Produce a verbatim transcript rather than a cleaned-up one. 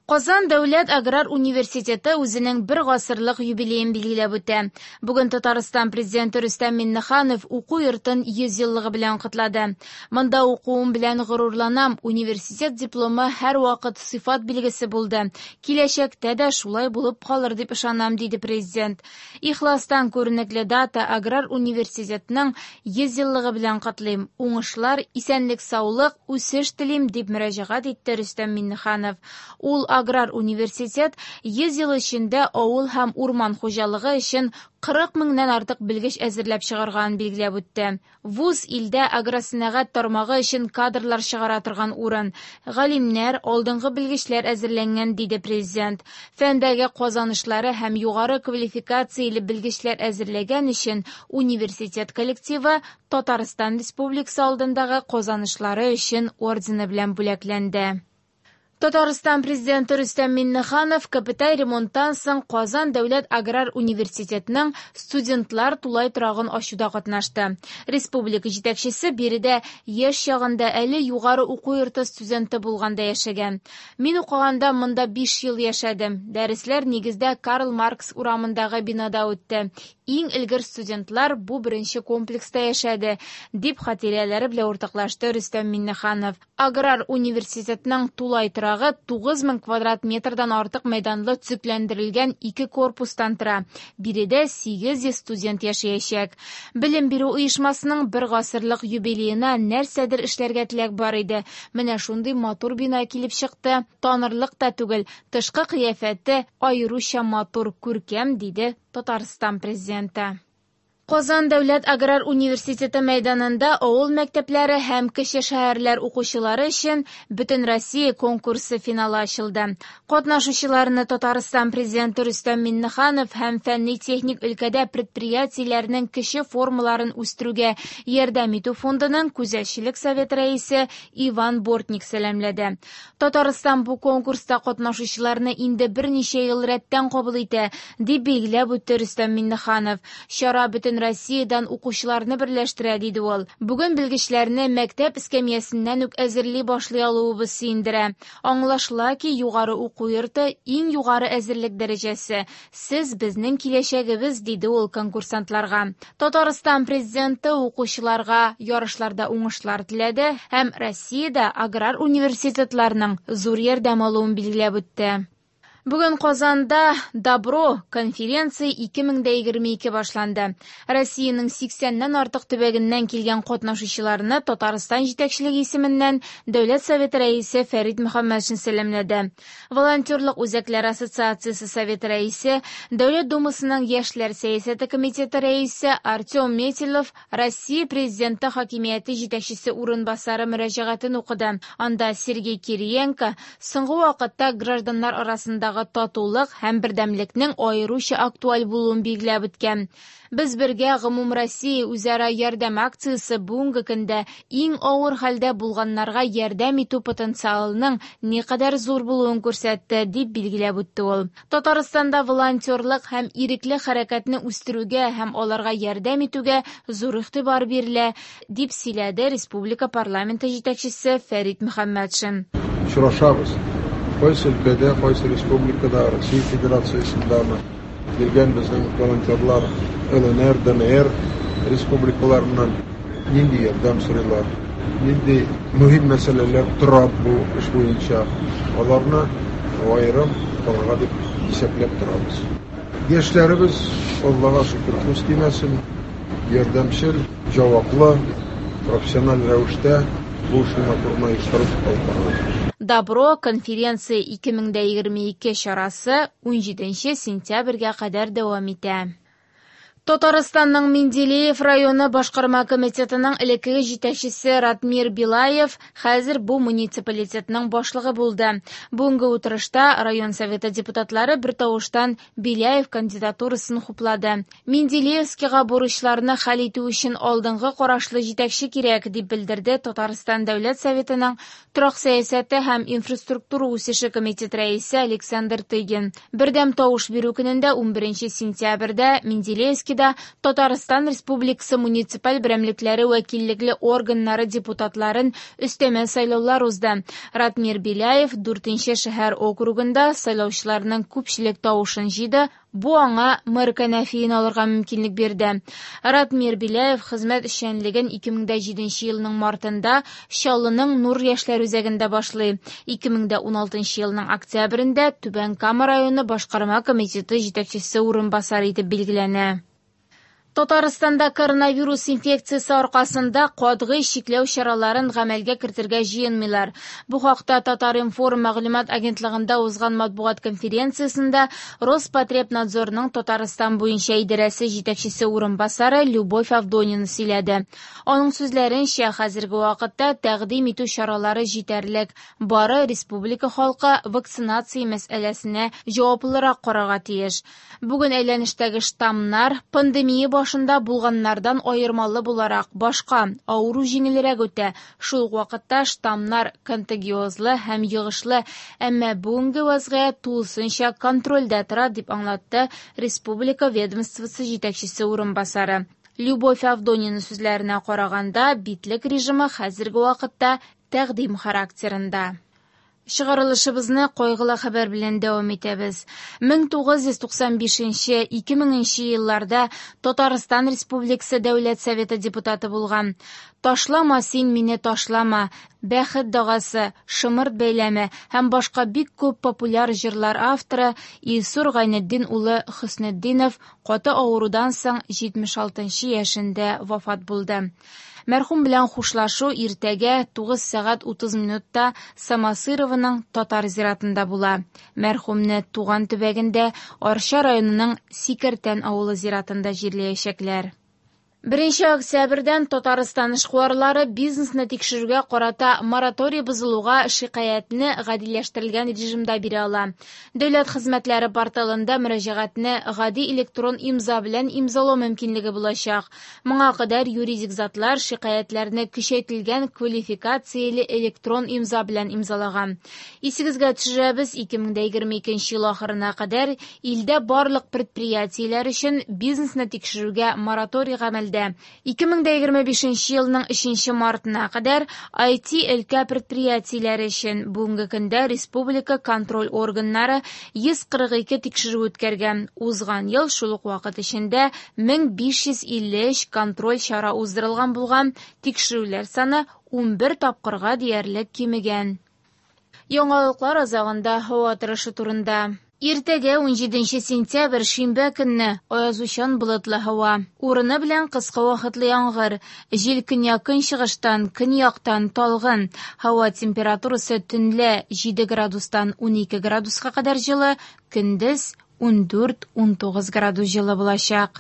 Казан дәүләт аграр университеты үзенең бер гасырлык юбилеен билгеләп үтә. Бүген Татарстан президенты Рөстәм Миңнеханов уку йортын йөз еллыгы белән котлады. Монда укуым белән горурланам, университет дипломы һәрвакыт сыйфат билгесе булды. Киләчәктә дә шулай булып калыр дип ышанам, диде президент. Ихластан күренекле дата аграр университетның йөз еллыгы белән котлыйм. Уңышлар, исәнлек-саулык, үсеш телим, дип мөрәҗәгать итте Рөстәм Миңнеханов. Ул аграр университет йөз ел эчендә авыл һәм урман хуҗалыгы өчен кырык меңнән артык белгеч әзерләп чыгарганын билгеләп үтте. Вуз илдә агросәнәгать тармагы өчен кадрлар чыгара торган урын. Галимнәр, алдынгы белгечләр әзерләнгән, диде президент. Фәндәге казанышлары һәм югары квалификацияле белгечләр әзерләгән өчен университет коллективы Татарстан Республикасы алдындагы казанышлары өчен ордены белән бүләкләнде. Татарстан президенты Рөстәм Миңнеханов капиталь ремонттан соң Казан дәүләт аграр университетының студентлар тулай торагын ачуда катнашты. Республика җитәкчесе биредә яшь чагында әле югары уку йорты студенты булганда яшәгән. Мин укыганда монда биш ел яшәдем. Дәресләр нигездә Карл Маркс урамындагы бинада үтте. Иң элгәр студентлар бу беренче комплекста яшәде, дип хатирәләре белән уртаклашты Рөстәм Миңнеханов. Аграр университетның тулай торагы тугыз мең квадрат метрдан артык мәйданлы төзекләндерелгән ике корпустан тора. Биредә сигез йөз студент яшәячәк. Белем бирү оешмасының бер гасырлык юбилеена нәрсәдер эшләргә теләк бар иде. Менә шундый матур бина килеп чыкты. Танырлык та түгел, тышкы кыяфәте аеруча матур, күркәм, диде Татарстан президенты. Казан дәүләт аграр университеты мәйданында авыл мәктәпләре һәм кече шәһәрләр укучылары өчен Бөтенроссия конкурсы финалы ачылды. Катнашучыларны Татарстан президенты Рөстәм Миңнеханов һәм фәнни-техник өлкәдә предприятиеләрнең кече формаларын үстерүгә ярдәм итү фондының күзәтчелек советы рәисе Иван Бортник сәламләде. Татарстан бу конкурста катнашучыларны инде берничә ел рәттән кабул итә, дип билгеләп үтте Рөстәм Миңнеханов. Чара бөтен Россиядән укучыларны берләштерә, диде ул. Бүген белгечләрне мәктәп эскәмиясеннән үк әзерли башлый алуыбыз сөендерә. Аңлашыла ки, югары уку йорты иң югары әзерлек дәрәҗәсе. Сез безнең киләчәгебез, диде ул конкурсантларга. Татарстан президенты укучыларга ярышларда уңышлар теләде һәм Россиядә аграр университетларның зур ярдәм алуын билгеләп үтте. Бүген Казанда Добро конференция ике мең дә егерме ике башланды. Россиянең сиксәннән артык төбәгеннән килгән катнашучыларны Татарстан җитәкчелеге исеменнән Дәүләт Советы рәисе Фәрит Мөхәммәтшин сәламләде. Волонтерлык үзәкләре ассоциациясе советы рәисе, Дәүләт Думасының яшьләр сәясәте комитеты рәисе Артем Метелев Россия президенты хакимияте җитәкчесе урынбасары мөрәҗәгатен укыды. Анда Сергей Кириенко соңгы вакытта гражданнар арасындагы татулык һәм бердәмлекнең аеруча актуаль булуын билгеләп үткән. Без бергә гомумроссия үзара ярдәм акциясе бүгенге көндә иң авыр хәлдә булганнарга ярдәм итү потенциалының никадәр зур булуын күрсәтте, дип билгеләп үтте ул. Татарстанда волонтерлык һәм ирекле хәрәкәтне үстерүгә һәм аларга ярдәм итүгә зур игътибар бирелә, дип сөйләде республика парламенты җитәкчесе Фәрит Мөхәммәтшин. Очрашабыз. Кайсы өлкәдә, кайсы республикада, Россия Федерациясендәме килгән безнең волонтерлар Л Н Р, Д Н Р республикаларыннан нинди ярдәм сорыйлар, нинди мөһим мәсьәләләр тора бу эш буенча, аларны аерым карарга дип исәпләп торабыз. Яшьләребез, Аллага шөкер, күз тимәсен, ярдәмчел, җаваплы, профессиональ рәвештә бу эшне матур оештырып алып барабыз. Добро конференция ике мең дә егерме ике чарасы унҗиденче сентябрьгә кадәр дәвам итә. Татарстанның Менделеев районы башкарма комитетының элеккеге җитәкчесе Ратмир Белаев хәзер бу муниципалитетның башлыгы булды. Бүгенге утырышта район советы депутатлары бер тавыштан Беляев кандидатурасын хуплады. Менделеевскийга бурычларны хәл итү өчен алдынгы карашлы җитәкче кирәк, дип белдерде Татарстан Дәүләт Советының торак сәясәте һәм инфраструктура үсеше комитеты рәисе Александр Тыгин. Бердәм тавыш бирү көнендә унберенче сентябрьдә Менделеевский Ленскийда Татарстан Республикасы муниципаль берәмлекләре вәкиллекле органнары депутатларын өстәмә сайлаулар узды. Ратмир Беляев дүртенче шәһәр округында сайлаучыларның күпчелек тавышын җыйды. Бу аңа мэр кәнәфиен алырга мөмкинлек бирде. Ратмир Беляев хезмәт эшчәнлеген ике мең дә җиденче елның мартында Чаллының Нур яшьләр үзәгендә башлый. ике мең дә уналтынчы елның октябрендә Түбән Кама районы башкарма комитеты җитәкчесе урынбасары итеп билгеләнә. Татарстанда коронавирус инфекциясе аркасында катгый чикләү чараларын гамәлгә кертергә җыенмыйлар. Бу хакта Татар-информ мәгълүмат агентлыгында узган матбугат конференциясендә Роспотребнадзорның Татарстан буенча идарәсе җитәкчесе урынбасары Любовь Авдонина сөйләде. Аның сүзләренчә, хәзерге вакытта тәкъдим итү чаралары җитәрлек. Бары республика халкы вакцинация мәсьәләсенә җаваплырак карарга тиеш. Бүген әйләнештәге штаммнар пандемия башында булганнардан аермалы буларак башка авыру җиңелрәк үтә. Шул ук вакытта штаммнар контагиозлы һәм йогышлы, әмма бүгенге вазгыять тулысынча контрольдә тора, дип аңлатты республика ведомствосы җитәкчесе урынбасары. Любовь Авдонина сүзләренә караганда, битлек режимы хәзерге вакытта тәкъдим характерында. Чыгарылышыбызны кайгылы хәбәр белән дәвам итәбез. мең тугыз йөз туксан бишенче - ике меңенче елларда Татарстан Республикасы Дәүләт Советы депутаты булган. Ташлама син мине ташлама, Бәхет дагасы, Шымырт бәйләме һәм башка бик күп популяр җырлар авторы Илсур Гайнетдин улы Хөснетдинов каты авырудан соң җитмеш алтынчы яшендә вафат булды. Мәрхүм белән хушлашу иртәгә тугыз сәгать утыз минутта Самосырованың татар зиратында була. Мәрхүмне туган төбәгендә Арча районының Сикертән авылы зиратында җирләячәкләр. Беренче октябрьдән Татарстан эшкуарлары бизнесны тикшерүгә карата мораторий бозылуга шикаятьне гадиләштерелгән режимда бирә ала. Дәүләт хезмәтләре порталында мөрәҗәгатьне гади электрон имза белән имзалау мөмкинлеге булачак. Моңа кадәр юридик затлар шикаятьләрне көчәйтелгән квалификацияле электрон имза белән имзалаган. Исегезгә төшерәбез, ике мең дә егерме икенче ел ахырына кадәр илдә барлык предприятиеләр өчен бизнесны тикшерүгә мораторий гамәлдә. ике мең дә егерме бишенче елның өченче мартына кадәр ай ти өлкә предприятиеләре өчен бүгенге көндә республика контроль органнары йөз кырык ике тикшерү үткәргән. Узган ел шул ук вакыт эчендә мең биш йөз илле өч контроль чара уздырылган булган, тикшерүләр саны унбер тапкырга диярлек кимегән. Яңалыклар азагында һава торышы турында. Иртәгә унҗиденче сентябрь шимбә көнне аязучан болытлы һава. Урыны белән кыска вакытлы яңгыр. Җил көньяк-көнчыгыштан, көньяктан талгын. Һава температурасы төнлә җиде градустан унике градуска кадәр җылы, көндез ундүрт-унтугыз градус җылы булачак.